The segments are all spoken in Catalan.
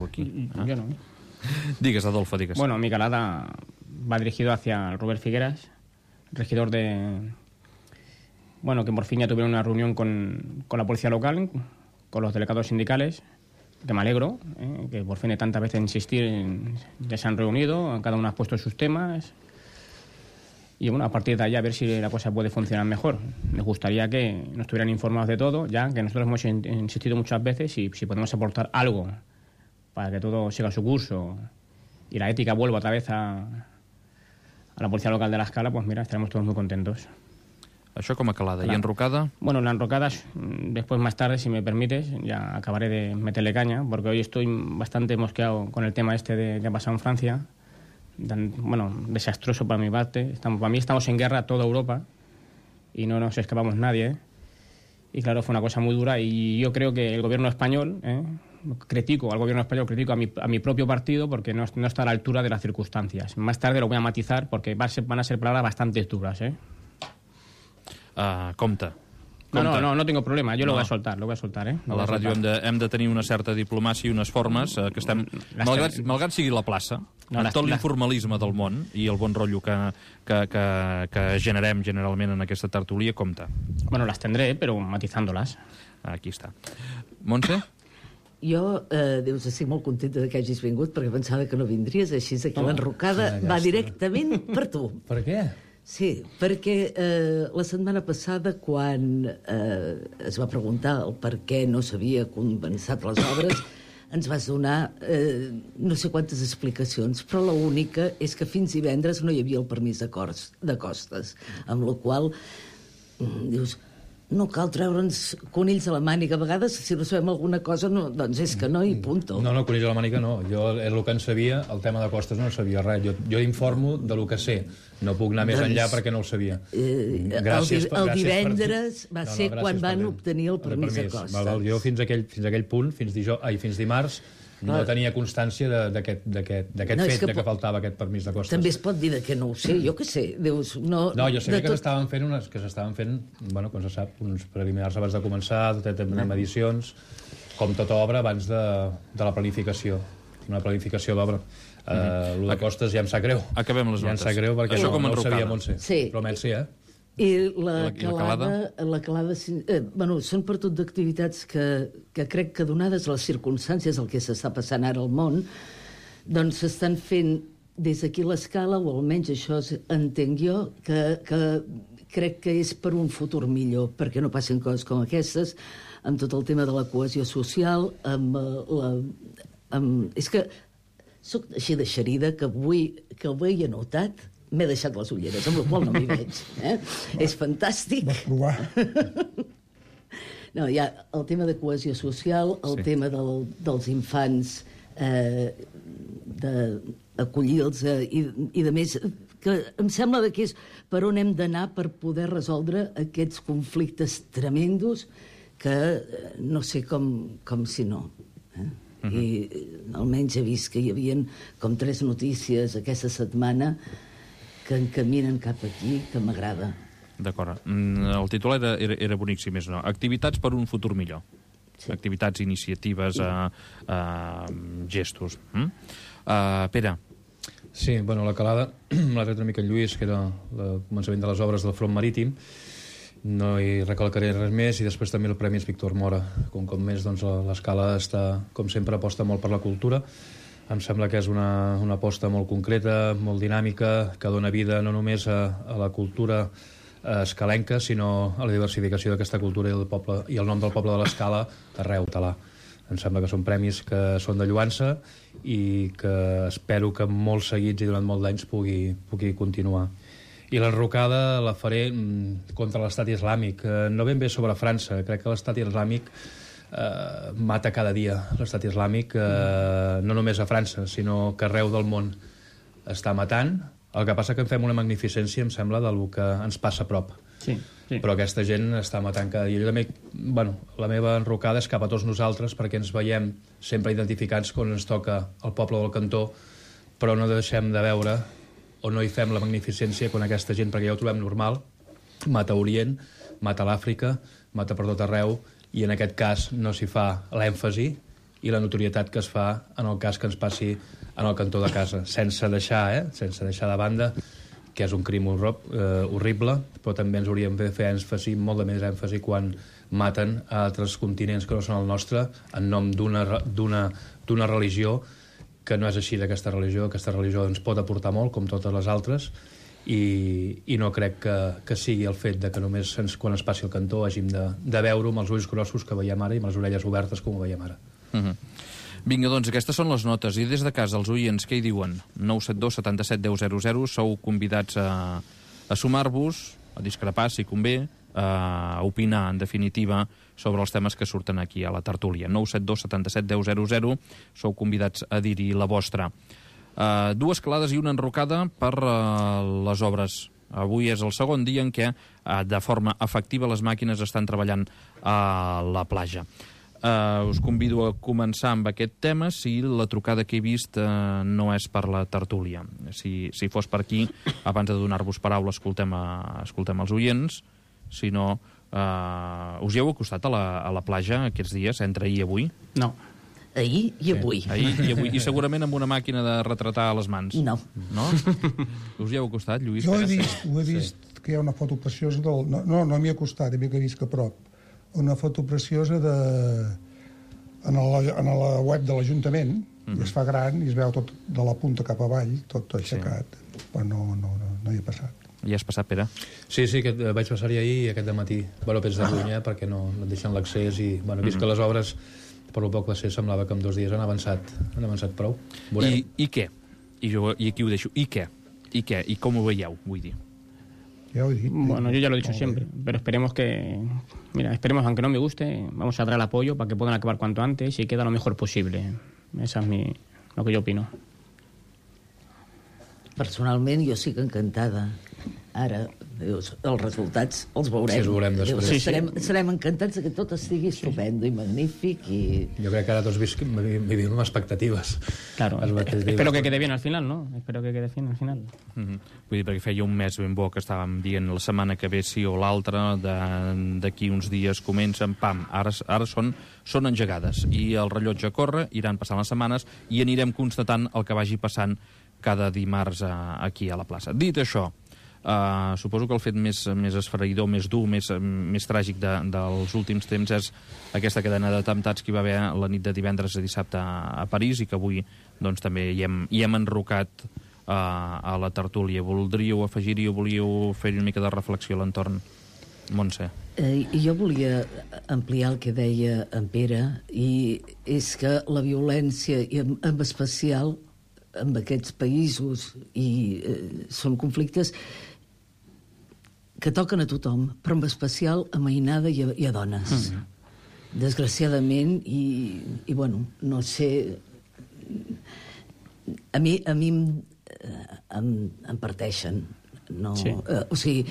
aquí. Yo no. Digues, Adolfo, digues. Bueno, mi calada va dirigido hacia Robert Figueras, regidor de... Bueno, que por fin ya tuvieron una reunión con la policía local, con los delegados sindicales, que me alegro, que por fin de tantas veces insistir, ya se han reunido, cada uno ha puesto sus temas, y bueno, a partir de ahí a ver si la cosa puede funcionar mejor. Me gustaría que nos estuvieran informados de todo, ya que nosotros hemos insistido muchas veces, y si podemos aportar algo para que todo siga su curso y la ética vuelva otra vez a la policía local de la Escala, pues mira, estaremos todos muy contentos. Això com a calada. I enrocada? Bueno, la enrocada, después más tarde, si me permites, ya acabaré de meterle caña, porque hoy estoy bastante mosqueado con el tema este de que ha pasado en Francia. Bueno, desastroso para mi parte. Para mí estamos en guerra toda Europa y no nos escapamos nadie. Y claro, fue una cosa muy dura y yo creo que el gobierno español, critico al gobierno español, critico a mi propio partido porque no está a la altura de las circunstancias. Más tarde lo voy a matizar porque van a ser palabras bastante duras, Compte. No tengo problema, jo lo voy a soltar, A la ràdio hem de tenir una certa diplomàcia i unes formes que estem... Malgrat sigui la plaça, amb tot l'informalisme del món i el bon rotllo que generem generalment en aquesta tertúlia, compte. Bueno, las tendré, pero matizándolas. Aquí està. Montse? Jo, estic molt contenta que hagis vingut perquè pensava que no vindries, així que l'enrocada va directament per tu. Per què? Sí, perquè la setmana passada, quan es va preguntar el per què no s'havia començat les obres, ens vas donar no sé quantes explicacions, però l'única és que fins divendres no hi havia el permís de costes, amb la qual dius... No cal treure'ns conills a la màniga. A vegades, si no sabem alguna cosa, doncs és que no, i punto. No, conills a la màniga no. Jo el que en sabia, el tema de costes no sabia res. Jo informo de lo que sé. No puc anar més enllà perquè no ho sabia. El divendres va ser quan van obtenir el permís de costes. Jo fins a aquell punt, fins dimarts, no tenia constància d'aquest fet, que faltava aquest permís de costes. També es pot dir que no ho sé, jo què sé. No, jo sabia que s'estaven fent, bueno, com se sap, uns preliminars abans de començar, de medicions, com tota obra abans de la planificació, una planificació d'obra. El de costes ja em sap greu. Acabem les notes. Ja em sap greu perquè no ho sabia Montse. Però Montse, I la calada són per tot d'activitats que crec que donades les circumstàncies el que s'està passant ara al món, doncs s'estan fent des d'aquí l'Escala, o almenys això entenc jo, que crec que és per un futur millor, perquè no passin coses com aquestes, amb tot el tema de la cohesió social, és que soc així de xerida que avui he notat m'he deixat les ulleres, amb la qual no m'hi veig. És fantàstic. Vas provar. No, hi ha el tema de cohesió social, el tema dels infants, d'acollir-los i de més, que em sembla que és per on hem d'anar per poder resoldre aquests conflictes tremendos que no sé com si no. I almenys he vist que hi havia com 3 notícies aquesta setmana que encaminen cap aquí, que m'agrada. D'acord. El titular era bonic, si més no. Activitats per un futur millor. Sí. Activitats, iniciatives, gestos. Pere. Sí, bueno, la calada l'ha tret una mica en Lluís, que era el començament de les obres del front marítim. No hi recalcaré res més, i després també el Premi Víctor Mora. Com més, doncs, l'Escala està, com sempre, aposta molt per la cultura. Em sembla que és una aposta molt concreta, molt dinàmica, que dona vida no només a la cultura escalenca, sinó a la diversificació d'aquesta cultura i el nom del poble de l'Escala arreu talà. Em sembla que són premis que són de lloança i que espero que molt seguits i durant molt d'anys pugui continuar. I l'enrocada la faré contra l'estat islàmic, no ben bé sobre França. Crec que l'estat islàmic mata cada dia. L'estat islàmic no només a França, sinó que arreu del món està matant. El que passa que en fem una magnificència, em sembla, del que ens passa a prop. Sí. Però aquesta gent està matant cada dia. Jo també, la meva enrocada és cap a tots nosaltres, perquè ens veiem sempre identificats quan ens toca el poble del cantó, però no deixem de veure o no hi fem la magnificència quan aquesta gent, perquè ja ho trobem normal, mata a Orient, mata a l'Àfrica, mata per tot arreu, i en aquest cas no s'hi fa l'èmfasi i la notorietat que es fa en el cas que ens passi en el cantó de casa, sense deixar de banda que és un crim horrible, però també ens hauríem de fer èmfasi, molt de més èmfasi, quan maten a altres continents que no són el nostre en nom d'una religió que no és així d'aquesta religió. Aquesta religió ens pot aportar molt, com totes les altres, i no crec que sigui el fet de que només quan es passi el cantó hàgim de veure-ho amb els ulls grossos que veiem ara i amb les orelles obertes com ho veiem ara. Vinga, doncs, aquestes són les notes. I des de casa, els oients, què hi diuen? 972 77 10 00. Sou convidats a sumar-vos, a discrepar, si convé, a opinar, en definitiva, sobre els temes que surten aquí a la tertúlia. 972 77 10 00. Sou convidats a dir-hi la vostra. Dues calades i una enrocada per les obres. Avui és el segon dia en què, de forma efectiva, les màquines estan treballant a la platja. Us convido a començar amb aquest tema si la trucada que he vist no és per la tertúlia. Si fos per aquí, abans de donar-vos paraula, escoltem els oients. Si no, us hi heu acostat a la platja aquests dies, entre ahir i avui? No. Ahir i avui. Ahir i avui. I segurament amb una màquina de retratar a les mans. No. No? Us hi heu acostat, Lluís? Jo ho he vist que hi ha una foto preciosa del... No m'hi he acostat, he vist que a prop. Una foto preciosa en la web de l'Ajuntament, i es fa gran i es veu tot de la punta cap avall, tot aixecat, però no hi he passat. Ja has passat, Pere? Sí, vaig passar-hi ahir i aquest dematí. Pens de Llunyà, perquè no et deixen l'accés i, vist que les obres, per lo poc va ser, semblava que en 2 dies han avançat prou. I què? I aquí ho deixo. I què? I com ho veieu, vull dir? Ya lo he dicho. Bueno, yo ya lo he dicho siempre, pero esperemos aunque no me guste, vamos a dar el apoyo para que puedan acabar cuanto antes y queda lo mejor posible. Esa es lo que yo opino. Personalment, jo estic encantada. Ara, els resultats els veurem. Sí, els veurem després. Serem encantats que tot estigui estupendo i magnífic. Jo crec que ara tots vivim amb expectatives. Claro, espero que quede bien al final, ¿no? Espero que quede bien al final. Vull dir, perquè feia un mes ben bo que estàvem dient la setmana que ve sí o l'altra, d'aquí uns dies comencen, pam, ara són engegades. I el rellotge corre, iran passant les setmanes i anirem constatant el que vagi passant cada dimarts aquí a la plaça. Dit això, suposo que el fet més esfereïdor, més dur, més tràgic dels últims temps és aquesta cadena d'atemptats que hi va haver la nit de divendres a dissabte a París i que avui doncs, també hi hem enrocat a la tertúlia. Voldríeu afegir-hi o volíeu fer una mica de reflexió a l'entorn? Montse. Jo volia ampliar el que deia en Pere, i és que la violència, i en especial en aquests països, i són conflictes que toquen a tothom, però en especial a mainada i a dones. Desgraciadament, i bueno, no sé... A mi em parteixen. No? Sí. O sigui,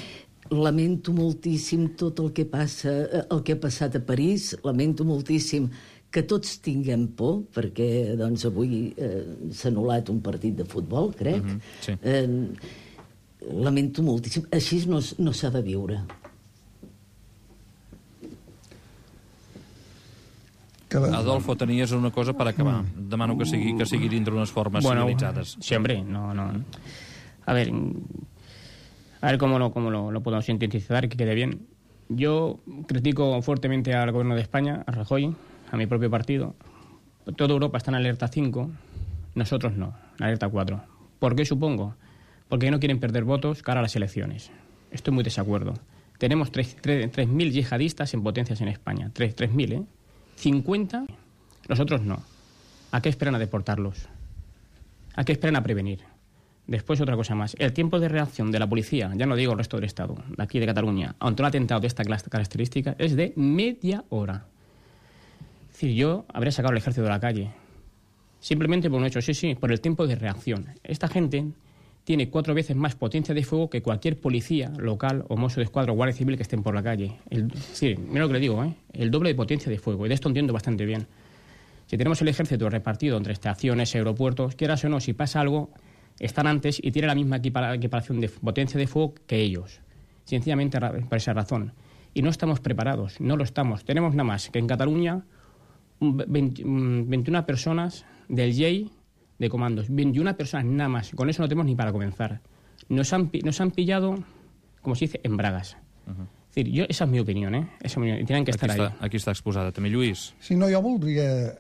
lamento moltíssim tot el que passa, el que ha passat a París, lamento moltíssim que tots tinguem por, perquè doncs, avui s'ha anul·lat un partit de futbol, crec. Sí. Lamento moltíssim. Així no s'ha de viure. Adolfo, tenies una cosa per acabar. Demano que sigui dintre unes formes civilitzades. Sí, hombre, no. A ver cómo lo podemos sintetizar, que quede bien. Yo critico fuertemente al gobierno de España, a Rajoy, a mi propio partido. Toda Europa está en alerta 5, nosotros no, en alerta 4. ¿Por qué supongo? Porque no quieren perder votos cara a las elecciones. Estoy muy desacuerdo. Tenemos 3.000 yihadistas en potencias en España. 3.000, ¿eh? 50, los otros no. ¿A qué esperan a deportarlos? ¿A qué esperan a prevenir? Después otra cosa más. El tiempo de reacción de la policía, ya no digo el resto del Estado, de aquí de Cataluña, ante un atentado de esta característica, es de media hora. Es decir, yo habría sacado el ejército de la calle. Simplemente por un hecho, sí, por el tiempo de reacción. Esta gente tiene 4 veces más potencia de fuego que cualquier policía local o mozo de escuadra o guardia civil que estén por la calle. Sí, mira lo que le digo, el doble de potencia de fuego. Y de esto entiendo bastante bien. Si tenemos el ejército repartido entre estaciones, aeropuertos, quieras o no, si pasa algo, están antes y tienen la misma equiparación de potencia de fuego que ellos. Sencillamente por esa razón. Y no estamos preparados, no lo estamos. Tenemos nada más que en Cataluña 21 personas del JEI de comandos. 21 personas nada más. Con eso no tenemos ni para comenzar. Nos han pillado, como se dice, en bragas. És dir, esa és mi opinió, Tenen que estar ahí. Aquí està exposada. També, Lluís? Sí, no, jo voldria...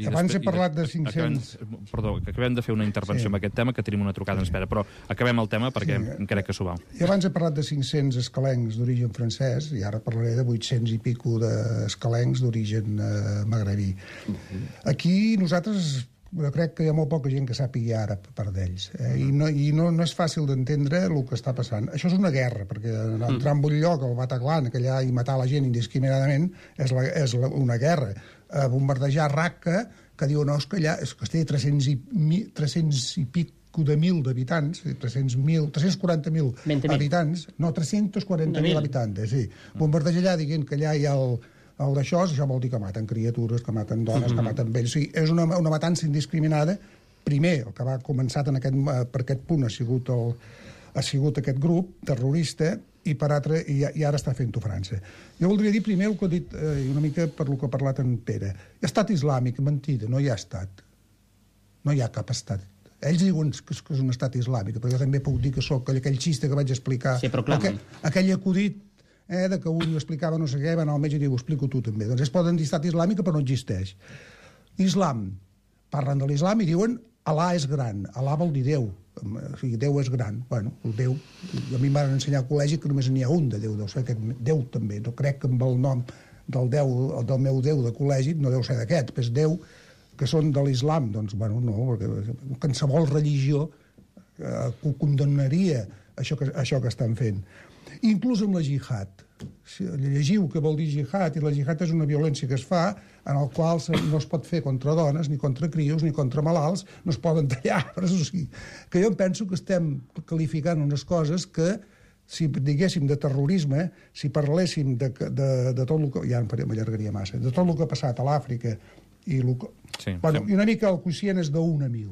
Abans he parlat de 500... Perdó, que acabem de fer una intervenció amb aquest tema, que tenim una trucada en espera, però acabem el tema perquè crec que s'ho val. I abans he parlat de 500 escalencs d'origen francès, i ara parlaré de 800 i pico d'escalencs d'origen magrebí. Aquí nosaltres... Jo crec que hi ha molt poca gent que sàpigui àrab per d'ells. I no és fàcil d'entendre el que està passant. Això és una guerra, perquè entrar en un lloc, al Bataclan, allà, i matar la gent indiscriminadament, és una guerra. Bombardejar Raqqa, que diu, no, és que allà es té 300 i pico de mil d'habitants, 340.000 habitants, no, 340.000 habitants, sí. Bombardejar allà dient que allà hi ha el d'això vol dir que maten criatures, que maten dones, que maten vells. O sigui, és una matança indiscriminada. Primer, el que va començar per aquest punt ha sigut aquest grup terrorista i ara està fent-ho França. Jo voldria dir primer el que ha dit, una mica per el que ha parlat en Pere. Estat islàmic, mentida, no hi ha estat. No hi ha cap estat. Ells diuen que és un estat islàmic, però jo també puc dir que sóc aquell xiste que vaig explicar, aquell acudit de que un explicava no sé què, va anar al metge i diu, ho explico tu també. Doncs es poden dir estat islàmic, però no existeix. Islam. Parlen de l'islam i diuen Alà és gran. Alà vol dir Déu. O sigui, Déu és gran. Bueno, el Déu... A mi em van ensenyar al col·legi que només n'hi ha un de Déu. Deu ser aquest Déu també. No crec que amb el nom del meu Déu de col·legi no deu ser d'aquest, però és Déu que són de l'islam. Doncs, bueno, no, perquè qualsevol religió condemnaria això que estan fent. Inclús amb la jihad. Llegiu què vol dir jihad, i la jihad és una violència que es fa en el qual no es pot fer contra dones, ni contra crios, ni contra malalts, no es poden tallar arbres. O sigui, que jo em penso que estem qualificant unes coses que, si diguéssim de terrorisme, si parléssim de tot el que... Ja m'allargaria massa. De tot el que ha passat a l'Àfrica i una mica el quocient és d'1 a 1.000.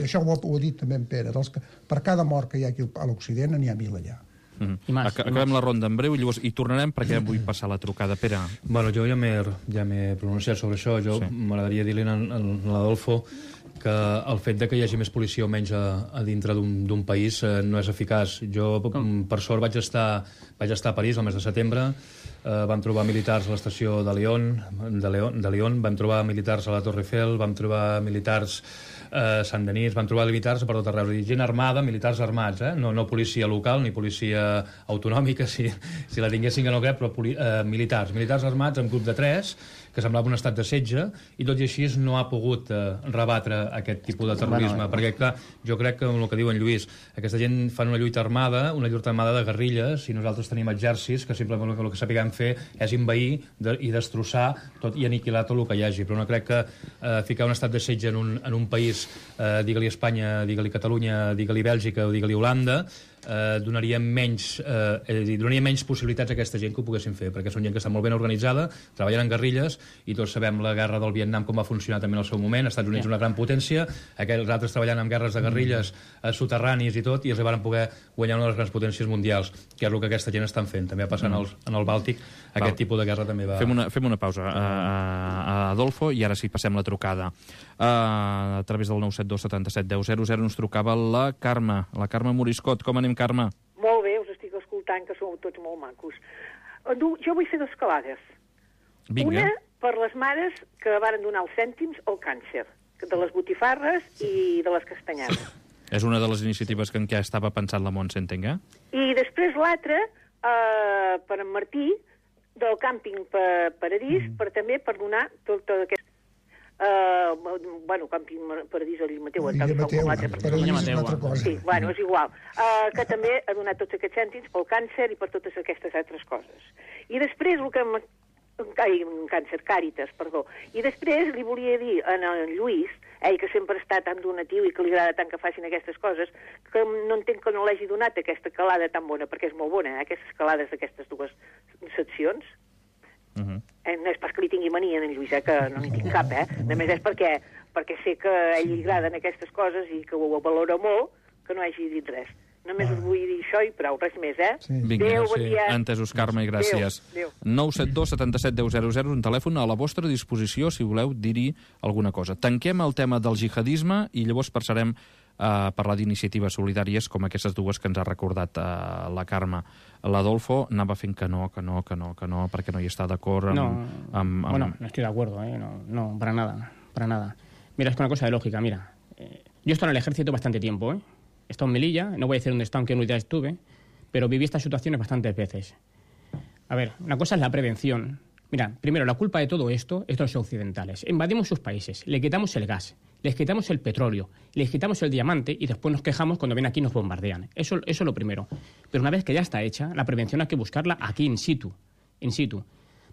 Això ho ha dit també en Pere. Per cada mort que hi ha aquí a l'Occident n'hi ha 1.000 allà. Acabem la ronda en breu i tornarem perquè vull passar la trucada. Pere. Bueno, jo ja m'he pronunciat sobre això. M'agradaria dir-li a l'Adolfo que el fet de que hi hagi més policia o menys a dintre d'un país no és eficaç. Jo, per sort, vaig estar a París el mes de setembre. Vam trobar militars a l'estació de Lyon, vam trobar militars a la Torre Eiffel, vam trobar militars a Sant Denis, van trobar militars per tot arreu. Gent armada, militars armats, no policia local ni policia autonòmica, si la tinguessin que no crec, però militars armats en grup de 3, que semblava un estat de setge, i tot i així no ha pogut rebatre aquest tipus de terrorisme, perquè clar, jo crec que el que diu en Lluís, aquesta gent fan una lluita armada de guerrilles, i nosaltres tenim exèrcits que simplement el que sapiguem fer és envair i destrossar tot i aniquilar tot el que hi hagi, però no crec que ficar un estat de setge en un país, digue-li Espanya, digue-li Catalunya, digue-li Bèlgica o digue-li Holanda, donaria menys possibilitats a aquesta gent que ho poguessin fer, perquè són gent que està molt ben organitzada, treballen en guerrilles, i tots sabem la guerra del Vietnam com va funcionar també en el seu moment. Estats Units una gran potència, aquells altres treballant en guerres de guerrilles soterranis i tot, i els van poder guanyar una de les grans potències mundials, que és el que aquesta gent estan fent. També va passar en el Bàltic, aquest tipus de guerra també va... Fem una pausa, Adolfo, i ara sí, passem la trucada. A través del 972 77 10 00 ens trucava la Carme Moriscot. Com anem, Carme? Molt bé, us estic escoltant, que sou tots molt macos. Jo vull fer 2 calades. Vinga. Una per les mares que varen donar els cèntims al càncer, de les botifarres i de les castanyades. És una de les iniciatives en què estava pensant la Montse, entenc, I després l'altra, per en Martí, del càmping Paradís, també per donar tota aquesta... Càmping Paradís o Illa Mateu, Paradís és una altra cosa. Sí, és igual. Que també ha donat tots aquests cèntims pel càncer i per totes aquestes altres coses. I després el que... Càritas, perdó. I després li volia dir a en Lluís, ell que sempre està tan donatiu i que li agrada tant que facin aquestes coses, que no entenc que no l'hagi donat aquesta calada tan bona, perquè és molt bona, aquestes calades d'aquestes 2 seccions. No és pas que li tingui mania en Lluís, que no n'hi tinc cap, Només és perquè sé que a ell li agraden aquestes coses i que ho valora molt, que no hagi dit res. Només us vull dir això i prou, res més, Sí. Vinga, Adéu, bon dia. entesos, Carme, i gràcies. Adéu. 972 77 10 00, un telèfon a la vostra disposició si voleu dir-hi alguna cosa. Tanquem el tema del jihadisme i llavors passarem a parlar d'iniciatives solidàries com aquestes dues que ens ha recordat la Carme. L'Adolfo anava fent que no, perquè no hi està d'acord amb... Bueno, no estoy de acuerdo, no, para nada. Mira, es una cosa de lógica, mira. Yo he estado en el ejército bastante tiempo, He estado en Melilla, no voy a decir dónde está, en qué unidad estuve, pero viví estas situaciones bastantes veces. A ver, una cosa es la prevención. Mira, primero, la culpa de todo esto es de los occidentales. Invadimos sus países, le quitamos el gas, les quitamos el petróleo, les quitamos el diamante y después nos quejamos cuando ven aquí y nos bombardean. Eso es lo primero. Pero una vez que ya está hecha, la prevención hay que buscarla aquí in situ.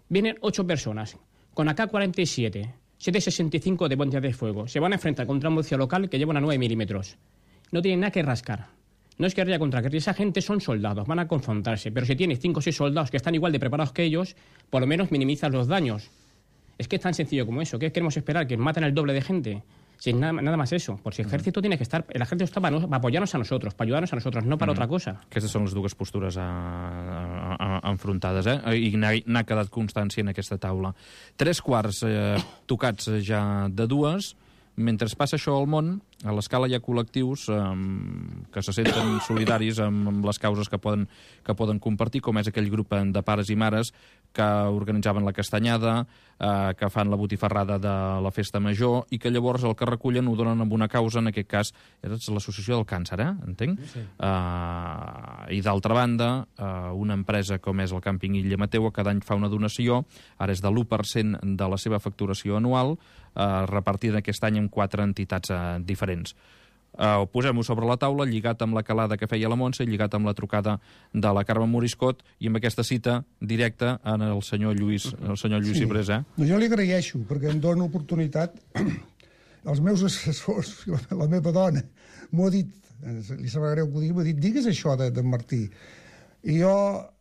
Vienen 8 personas con AK-47, 7,65 de bombas de fuego. Se van a enfrentar contra un policía local que lleva una 9 milímetros. No tienen nada que rascar. No es guerrilla contra guerrilla. Esa gente son soldados, van a confrontarse. Pero si tienes 5 o 6 soldados que están igual de preparados que ellos, por lo menos minimizas los daños. Es que es tan sencillo como eso. ¿Qué queremos esperar? ¿Que maten el doble de gente? Sin nada más eso. Por si el ejército tiene que estar... El ejército está para apoyarnos a nosotros, para ayudarnos a nosotros, no para otra cosa. Aquestes són les dues postures enfrontades, I n'ha quedat constància en aquesta taula. 3:15 tocats ja de 2. Mentre passa això al món, a l'escala hi ha col·lectius que se senten solidaris amb les causes que poden compartir, com és aquell grup de pares i mares que organitzaven la castanyada, que fan la botifarrada de la festa major i que llavors el que recullen ho donen amb una causa, en aquest cas és l'associació del càncer, entenc? Sí. I d'altra banda, una empresa com és el càmping Illa Mateu cada any fa una donació, ara és de l'1% de la seva facturació anual, repartida aquest any en 4 entitats diferents. Posem-ho sobre la taula, lligat amb la calada que feia la Montse, lligat amb la trucada de la Carme Moriscot i amb aquesta cita directa en el senyor Lluís Cibrés. No, jo li agraeixo, perquè em dona oportunitat. Els meus assessors, la meva dona, m'ho ha dit, li sembla greu que ho digui, m'ha dit, digues això d'en Martí. I jo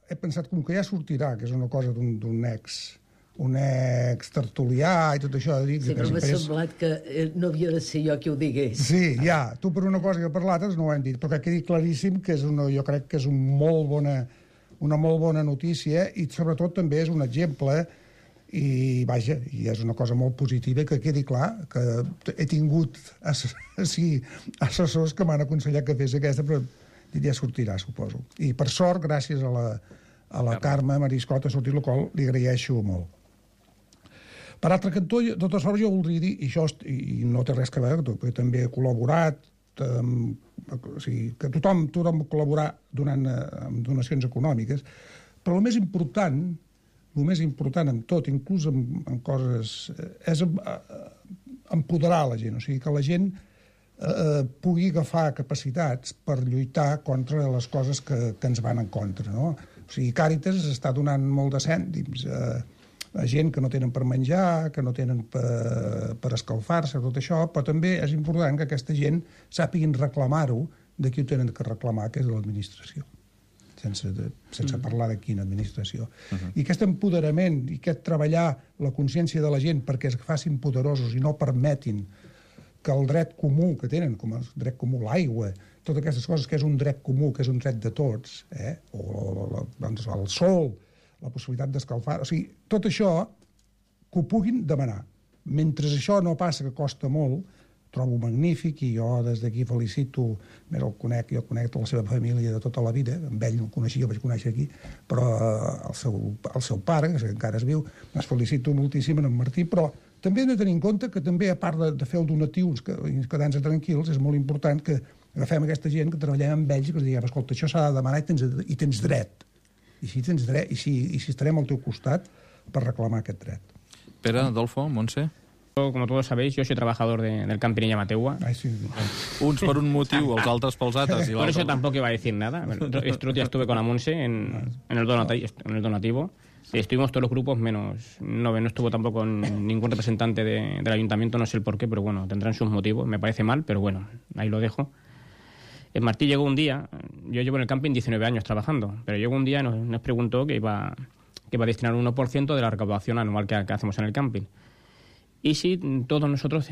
he pensat, com que ja sortirà, que és una cosa d'un ex tertulià i tot això. Sí, però m'ha semblat que no havia de ser jo qui ho digués. Sí, ja, tu per una cosa i jo per l'altra no ho hem dit, però que quedi claríssim que jo crec que és una molt bona notícia i sobretot també és un exemple i vaja, i és una cosa molt positiva que quedi clar que he tingut assessors que m'han aconsellat que fes aquesta, però ja sortirà, suposo. I per sort, gràcies a la Carme Moriscot ha sortit, el qual li agraeixo molt. Per altre cantó, de totes formes, jo voldria dir, i no té res a veure, perquè també he col·laborat, que tothom ha col·laborat amb donacions econòmiques, però el més important en tot, inclús en coses, és empoderar la gent, o sigui, que la gent pugui agafar capacitats per lluitar contra les coses que ens van en contra, no? O sigui, Càritas està donant molt de cèntims a gent que no tenen per menjar, que no tenen per escalfar-se, tot això, però també és important que aquesta gent sàpiguin reclamar-ho de qui ho tenen que reclamar, que és de l'administració, sense parlar de quina administració. I aquest empoderament i aquest treballar la consciència de la gent perquè es facin poderosos i no permetin que el dret comú que tenen, com el dret comú, l'aigua, totes aquestes coses que és un dret comú, que és un dret de tots, o el sol, la possibilitat d'escalfar... O sigui, tot això que ho puguin demanar. Mentre això no passa, que costa molt, trobo magnífic i jo des d'aquí felicito, més jo conec tota la seva família de tota la vida, amb ell no el coneixia, el vaig conèixer aquí, però el seu pare, que encara es viu, es felicito moltíssim en Martí, però també hem de tenir en compte que també, a part de fer el donatiu i quedar-nos tranquils, és molt important que agafem aquesta gent, que treballem amb ells i que els diguem, escolta, això s'ha de demanar i tens dret. I si tens dret, i si estarem al teu costat per reclamar aquest dret. Pere, Adolfo, Montse? Como todos sabéis, yo soy trabajador del camping Illa Mateua. Ai, sí. Uns per un motiu, els altres pels altres. Por eso tampoco iba a decir nada. Este otro día estuve con la Monse en el donativo. Estuvimos todos los grupos, menos... No estuvo tampoco ningún representante del ayuntamiento, no sé el por qué, pero bueno, tendrán sus motivos. Me parece mal, pero bueno, ahí lo dejo. Martí llegó un día, yo llevo en el camping 19 años trabajando, pero llegó un día y nos preguntó que iba a destinar un 1% de la recaudación anual que hacemos en el camping. y si todos nosotros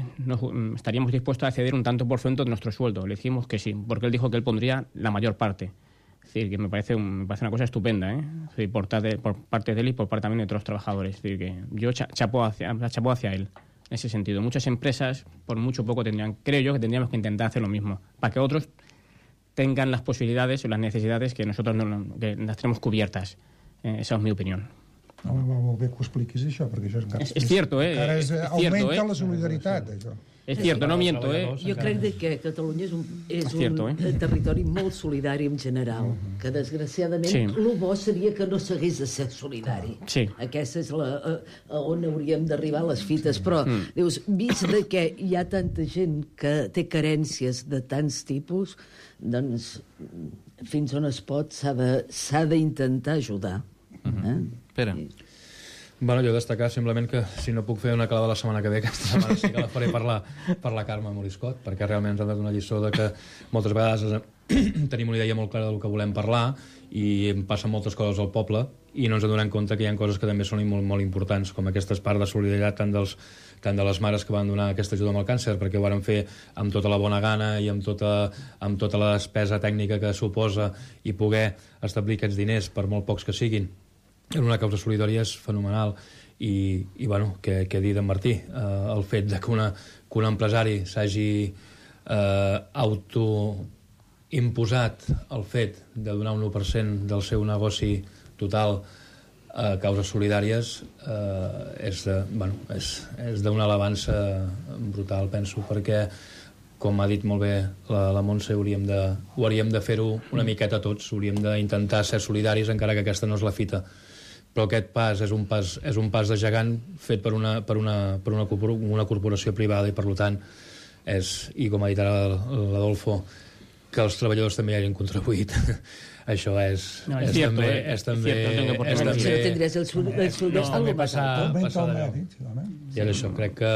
estaríamos dispuestos a ceder un tanto por ciento de nuestro sueldo. Le dijimos que sí, porque él dijo que él pondría la mayor parte. Es decir, que me parece una cosa estupenda, ¿eh? Es decir, por parte de él y por parte también de otros trabajadores. Es decir, que yo chapo hacia él. En ese sentido, muchas empresas, por mucho poco, creo yo que tendríamos que intentar hacer lo mismo, para que otros tengan las posibilidades o las necesidades que nosotros que las tenemos cubiertas. Esa es mi opinión. No, molt bé que ho expliquis, això, perquè això encara és cierto, encara augmenta la solidaritat, això. És cierto, no miento, Jo crec que Catalunya és un territori molt solidari en general, que desgraciadament el bo seria que no s'hagués de ser solidari. Sí. Aquesta és on hauríem d'arribar a les fites, però dius, vist que hi ha tanta gent que té carències de tants tipus, doncs fins on es pot s'ha d'intentar ajudar. Pere. Bueno, jo destacar simplement que si no puc fer una calada la setmana que ve, aquesta setmana sí que la faré per la Carme Moriscot, perquè realment ens han donat una lliçó de que moltes vegades tenim una idea molt clara del que volem parlar i em passen moltes coses al poble i no ens adonem compte que hi ha coses que també són molt, molt importants, com aquestes parts de solidaritat tant de les mares que van donar aquesta ajuda amb el càncer, perquè ho varen fer amb tota la bona gana i amb tota la despesa tècnica que suposa i poder establir aquests diners, per molt pocs que siguin, en una causa solidària és fenomenal. I bueno, què dir d'en Martí? El fet de que un empresari s'hagi autoimposat el fet de donar un 1% del seu negoci total a causes solidàries és d'una alabança brutal, penso, perquè, com ha dit molt bé la Montse, ho hauríem de fer-ho una miqueta tots, hauríem d'intentar ser solidaris, encara que aquesta no és la fita. Però aquest pas és un pas de gegant fet per una corporació privada i, per tant, i com ha dit ara l'Adolfo, que els treballadors també hi hagin contribuït. Això és també passar de veu. I això, crec que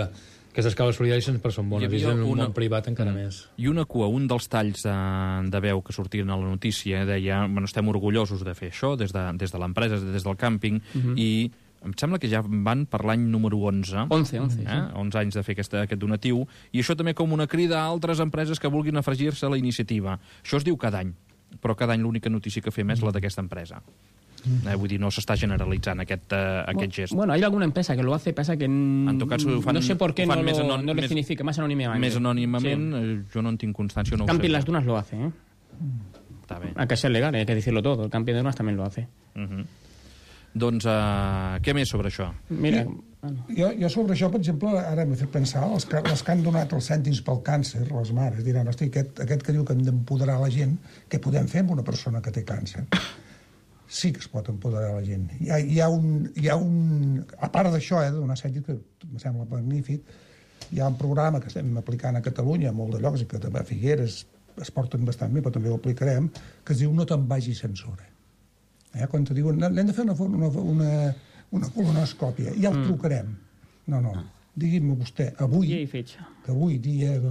aquestes causes solidàries sempre són bones, i en un món privat encara més. I una cua, un dels talls de veu que sortien a la notícia deia, bueno, estem orgullosos de fer això des de l'empresa, des del càmping, i em sembla que ja van per l'any número 11. 11 anys de fer aquest donatiu, i això també com una crida a altres empreses que vulguin afegir-se a la iniciativa. Això es diu cada any, però cada any l'única notícia que fem és la d'aquesta empresa. Vull dir, no s'està generalitzant aquest gest. Bueno, hay alguna empresa que lo hace, pasa que no sé por qué no le significa más anónimamente. Més anònimament, jo no en tinc constància. No Camping Las Dunas lo hace, ¿eh? Está bien. Hay que ser legal, hay que decirlo todo. El Camping de Dunas también lo hace. Doncs, què més sobre això? Mira, jo sobre això, per exemple, ara m'he fet pensar, els que han donat els cèntims pel càncer, les mares, diran, hosti, aquest que diu que hem d'empoderar la gent, què podem fer amb una persona que té càncer? Sí que es pot empoderar la gent. Hi ha un a part d'això, donar cèntims, que em sembla magnífic, hi ha un programa que estem aplicant a Catalunya, a molt de llocs, i que també a Figueres es porten bastant bé, però també ho aplicarem, que es diu No te'n vagis sense hora. Quan te diuen, l'hem de fer una colonoscòpia, ja el trucarem. No, digui'm vostè, avui, que avui dia,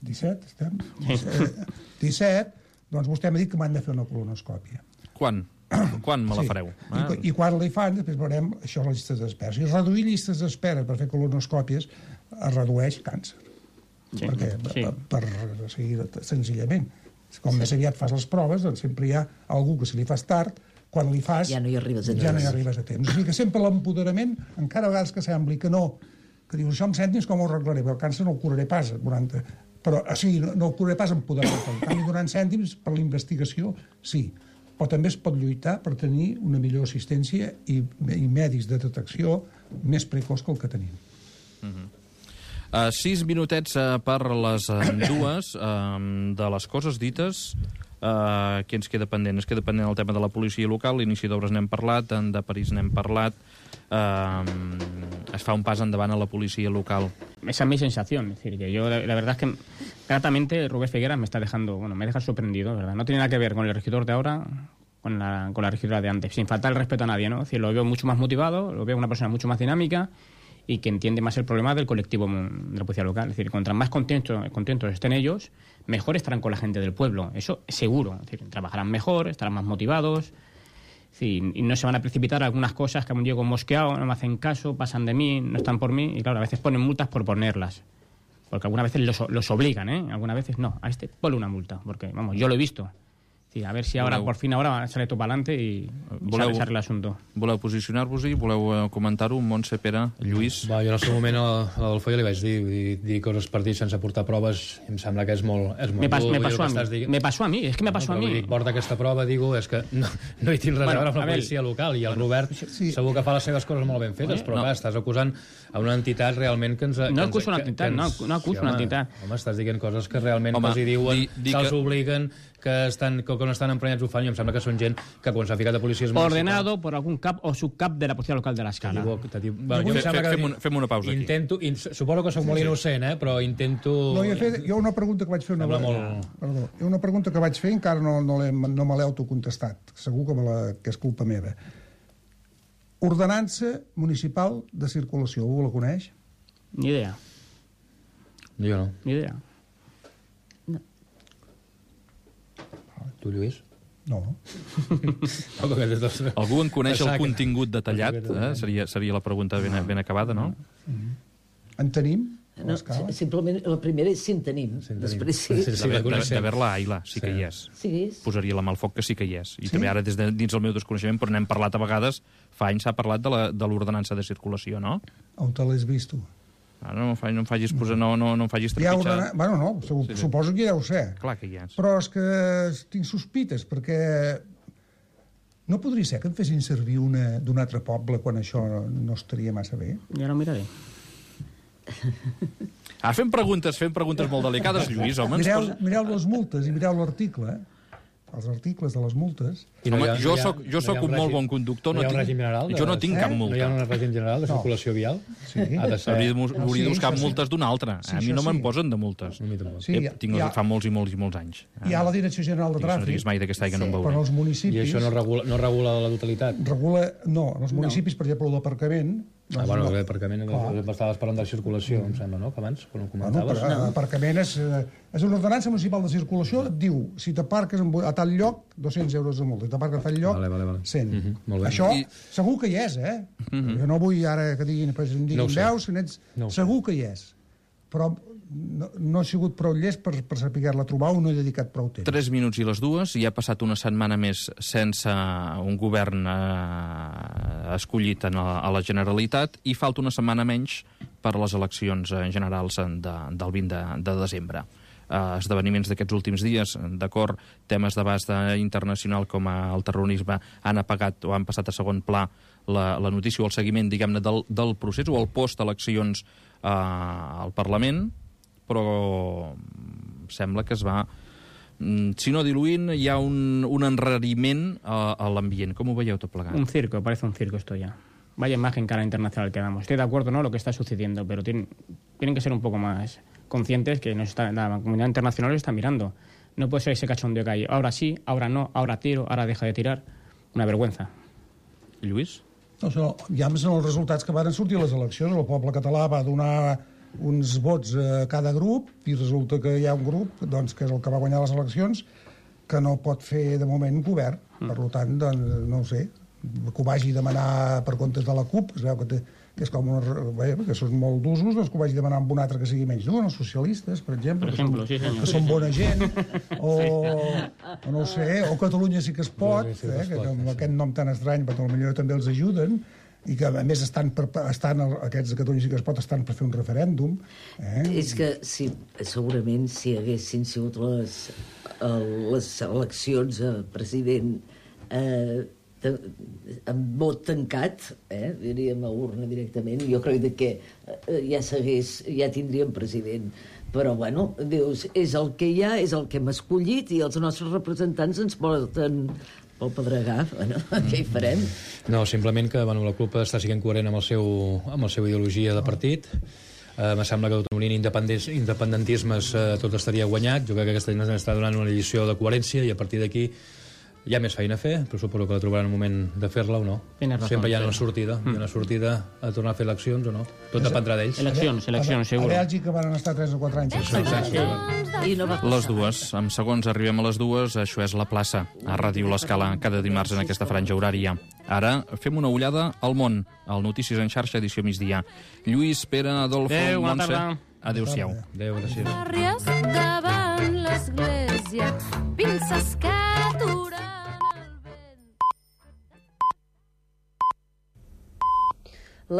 17, estem? 17, doncs vostè m'ha dit que m'han de fer una colonoscòpia. Quan me la fareu? I quan la hi fan, després veurem això, les llistes d'espera. I reduir llistes d'espera per fer colonoscòpies es redueix càncer. Per seguir senzillament. Com més aviat fas les proves, doncs sempre hi ha algú que si li fas tard, quan li fas ja no hi arribes a temps. O sigui que sempre l'empoderament, encara a vegades que sembli que no, que dius, això amb cèntims com ho arreglaré, però el càncer no el curaré pas, però o sigui, no el curaré pas empoderant. En canvi, donant cèntims per la investigació, sí. Però també es pot lluitar per tenir una millor assistència i medis de detecció més precoç que el que tenim. 6 minutets per les 2 de les coses dites. Què ens queda pendent? Ens queda pendent el tema de la policia local, l'inici d'obres n'hem parlat, de París n'hem parlat, es fa un pas endavant a la policia local. Esa es mi sensación, es decir, que yo la verdad es que gratamente Rubén Figueras me deja sorprendido, ¿verdad? No tiene nada que ver con el regidor de ahora, con la regidora de antes, sin faltar el respeto a nadie, ¿no? Es decir, lo veo mucho más motivado, lo veo una persona mucho más dinámica y que entiende más el problema del colectivo de la policía local. Es decir, cuanto más contentos estén ellos, mejor estarán con la gente del pueblo. Eso seguro. Es decir, trabajarán mejor, estarán más motivados. Sí, y no se van a precipitar algunas cosas que a un llego mosqueado, no me hacen caso, pasan de mí, no están por mí, y claro, a veces ponen multas por ponerlas. Porque algunas veces los obligan, ¿eh? Algunas veces no, a este ponle una multa, porque, vamos, yo lo he visto. Sí, a ver si ahora, por fin, ahora sale tot per adelante i s'arregla l'assumpte. Voleu posicionar-vos-hi? Voleu comentar-ho? Montse, Pere, Lluís? Va, jo en el seu moment a l'Adolfo ja li vaig dir coses per dir sense portar proves, i em sembla que és molt me pasó a mí, es que me pasó a mí. Porta aquesta prova, digo, és que no hi tinc res a veure amb la policia local, i el Robert segur que fa les seves coses molt ben fetes, però clar, estàs acusant a una entitat realment que ens... No acuso una entitat, no acuso una entitat. Home, estàs dient coses que realment els hi diuen, se'ls obliguen, que no estan emprenyats ho fan, i em sembla que són gent que quan s'ha ficat a policia... Ordenado por algún cap o subcap de la policia local de l'Escala. Fem una pausa aquí. Suposo que soc molt innocent, però intento... No, jo una pregunta que vaig fer una pregunta que vaig fer encara no me l'he autocontestat. Segur que és culpa meva. Ordenança municipal de circulació, algú la coneix? Ni idea. Jo no. Ni idea. Tu, Lluís? No. Algú en coneix el contingut detallat? Seria la pregunta ben acabada, no? En tenim? No, simplement la primera és si en tenim. Després sí. D'haver-la, Aila, sí que hi és. Posaria la mà al foc que sí que hi és. I també ara, dins del meu desconeixement, però n'hem parlat a vegades, fa anys s'ha parlat de l'ordenança de circulació, no? On te l'has vist, tu? No em facis trepitjar... Bueno, no, suposo que ja ho sé. Clar que hi és. Però és que tinc sospites, perquè no podria ser que en fessin servir una d'un altre poble quan això no estaria massa bé? Ja no miraré. Fem preguntes molt delicades, Lluís, home. Mireu les multes i mireu l'article, els articles de les multes. Home, jo soc un molt bon conductor. No hi ha un règim general? Jo no tinc cap multa. No hi ha un règim general de circulació vial? Sí. Hauria de buscar multes d'una altra. A mi no me'n posen de multes. Tinc fa molts i molts anys. Hi ha la Direcció General de Tràfic. No diguis mai d'aquesta que no em veuré. Però els municipis... I això no regula la totalitat? No, en els municipis, per exemple, l'aparcament... l'aparcament estaves parlant de circulació, em sembla, no? Que abans, quan ho comentaves. L'aparcament és una ordenança municipal de circulació, et diu, si t'aparques a tal lloc, 200 euros de multa. Si t'aparques a tal lloc, 100. Això segur que hi és, Jo no vull ara que diguin veus, segur que hi és. Però no he sigut prou llest per saber-la trobar o no he dedicat prou temps. 3 minuts i les 2, i ha passat una setmana més sense un govern escollit a la Generalitat, i falta una setmana menys per a les eleccions generals del 20 de desembre. Esdeveniments d'aquests últims dies, d'acord, temes d'abast internacional com el terrorisme han apagat o han passat a segon pla la notícia o el seguiment, diguem-ne, del procés o el post-eleccions al Parlament, però sembla que es va, si no diluint, hi ha un enrariment a l'ambient. Com ho veieu tot plegat? Un circo, parece un circo esto ya. Vaya imagen cara internacional que damos. Estoy de acuerdo, ¿no?, lo que está sucediendo, pero tienen que ser un poco más conscientes que la comunidad internacional está mirando. No puede ser ese cachondeo que hay. Ahora sí, ahora no, ahora tiro, ahora deja de tirar. Una vergüenza. Lluís? No, ja són els resultats que van sortir a les eleccions. El poble català va donar uns vots a cada grup i resulta que hi ha un grup, doncs, que és el que va guanyar les eleccions, que no pot fer de moment govern. Per tant, doncs, no ho sé, que ho vagi demanar per comptes de la CUP, que es veu que és com que són molt d'usos, doncs que ho vagi demanar amb un altre que sigui menys dur, els socialistes, per exemple, que són bona gent, o no ho sé, o Catalunya sí que es pot, que amb aquest nom tan estrany, però potser també els ajuden, i que a més aquests de Catalunya sí que es pot estan per fer un referèndum. És que segurament si haguessin sigut les eleccions a president amb vot tancat, diríem a urna directament, jo crec que ja tindríem president. Però, bueno, dius, és el que hi ha, és el que hem escollit, i els nostres representants ens porten pel pedregar. Bueno, què hi farem? No, simplement que la CUP està sent coherent amb la seva ideologia de partit. Me sembla que tot unint independentismes tot estaria guanyat. Jo crec que aquesta gent està donant una lliçó de coherència, i a partir d'aquí Hi ha més feina a fer, però suposo que la trobaran un moment de fer-la o no. Sempre hi ha una sortida. Hi ha una sortida a tornar a fer eleccions o no. Tot dependrà d'ells. Eleccions, segur. A Bèlgica van estar 3 o 4 anys. I no va passar. Les dues. En segons arribem a les dues, això és La Plaça, a Ràdio L'Escala, cada dimarts en aquesta franja horària. Ara fem una ullada al món, al Notícies en xarxa, edició migdia. Lluís, Pere, Adolfo, Adéu, bona Montse... tarda. Adéu-siau. Adéu, gràcies. Àries davant l'església, pinces que aturen el vent.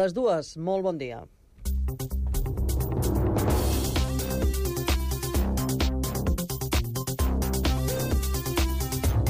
Les dues, molt bon dia.